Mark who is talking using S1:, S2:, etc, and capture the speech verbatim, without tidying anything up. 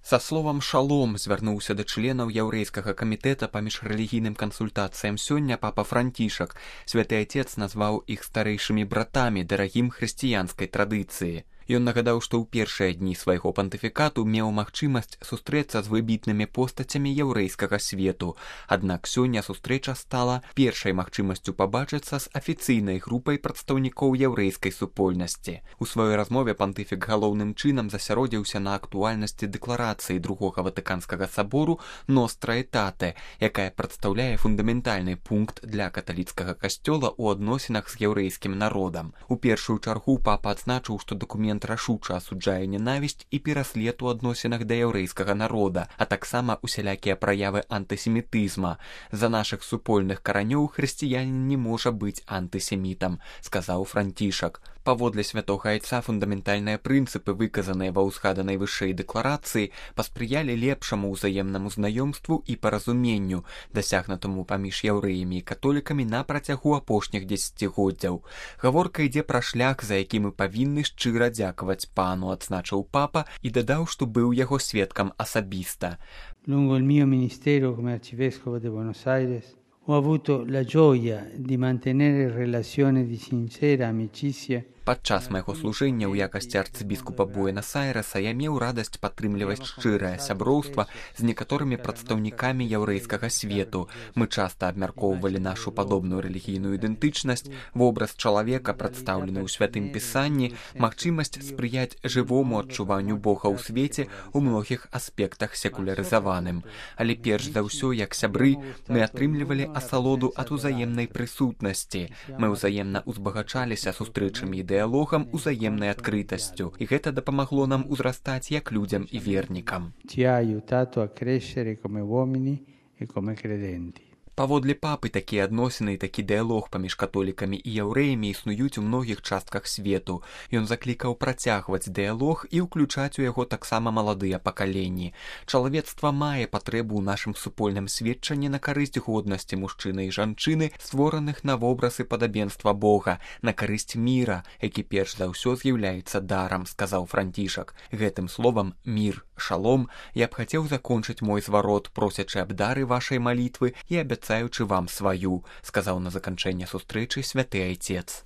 S1: Са словам «шалом» звярнуўся да членаў яўрэйскага камітэта па міжрэлігійным кансультацыям сёння папа Францішак. Святы Отец назваў іх старэйшымі братамі дарагім хрысціянскай традыцыі. Ён нагадаў, што ў першыя дні свайго пантыфікату меў магчымасць сустрэцца з выбітнымі постацямі яўрэйскага свету. Аднак сёння сустрэча стала першай магчымасцю пабачыцца з афіцыйнай групай прадстаўнікоў яўрэйскай супольнасці. У сваёй размове пантыфік галоўным чынам засяродзіўся на актуальнасці дэкларацыі другога ватыканскага сабору «Ностра Этате», якая прадстаўляе фундаментальны пункт для каталіцкага касцёла ў адносінах з яўрэйскім народам. У першую чаргу папа адзначыў, што дакумент рашуча асуджае ненавісць і пераслед у адносінах да яўрэйскага народа, а таксама усялякія праявы антысемітызма. За нашых супольных каранёў хрысціянін не можа быць антысемітам, сказаў Францішак. Паводле святога айца фундаментальныя прынцыпы, выказаныя ва ўзгаданай вышэй дэкларацыі, паспрыялі лепшаму ўзаемнаму знаёмству і паразуменню, дасягнутаму паміж яўрэямі і католікамі на працягу апошніх дзесяцігоддзяў. Гаворка ідзе пра шлях, за які мы павінны шчыра дзякаваць пану, адзначыў папа і дадаў, што быў яго сведкам асабіста.
S2: Lungo il mio ministero come arcivescovo di Buenos Aires ho avuto la gioia di mantenere relazioni di sincera amicizia.
S1: Падчас майго служэння ў якасці арцыбіскупа Буэнас-Айрэса я меў радасць падтрымліваць шчырае сяброўства з некаторымі прадстаўнікамі яўрэйскага свету. Мы часта абмяркоўвалі нашу падобную рэлігійную ідэнтычнасць, вобраз чалавека, прадстаўлены ў святым пісанні, магчымасць спрыяць жывому адчуванню Бога ў свеце ў многіх аспектах секулярызаваным. Але перш за ўсё, як сябры, мы атрымлівалі асалоду ад узаемнай прысутнасці. Мы ўзаемна узбагачаліся сустрэчамі ідэалогам, дыялогам, узаемнай адкрытасцю, і гэта дапамагло нам узрастаць як людзям і вернікам.
S2: Ci ha aiutato a crescere come uomini e come credenti.
S1: Паводле папы, такія адносіны і такі дыялог паміж католікамі і яўрэямі існуюць у многіх частках свету. Ён заклікаў працягваць дыялог і ўключаць у яго таксама маладыя пакаленні. Чалавецтва мае патрэбу ў нашым супольным сведчанні на карысць годнасці мужчыны і жанчыны, створаных на вобраз і падабенства Бога, на карысць міра, які перш за ўсё з'яўляецца дарам, сказаў Францішак. Гэтым словам «мір», «шалом» я б хацеў закончыць мой зварот, просячы аб дары вашай малітвы і абяцаючы вам сваю, сказаў на заканчэнне сустрэчы святы айцец.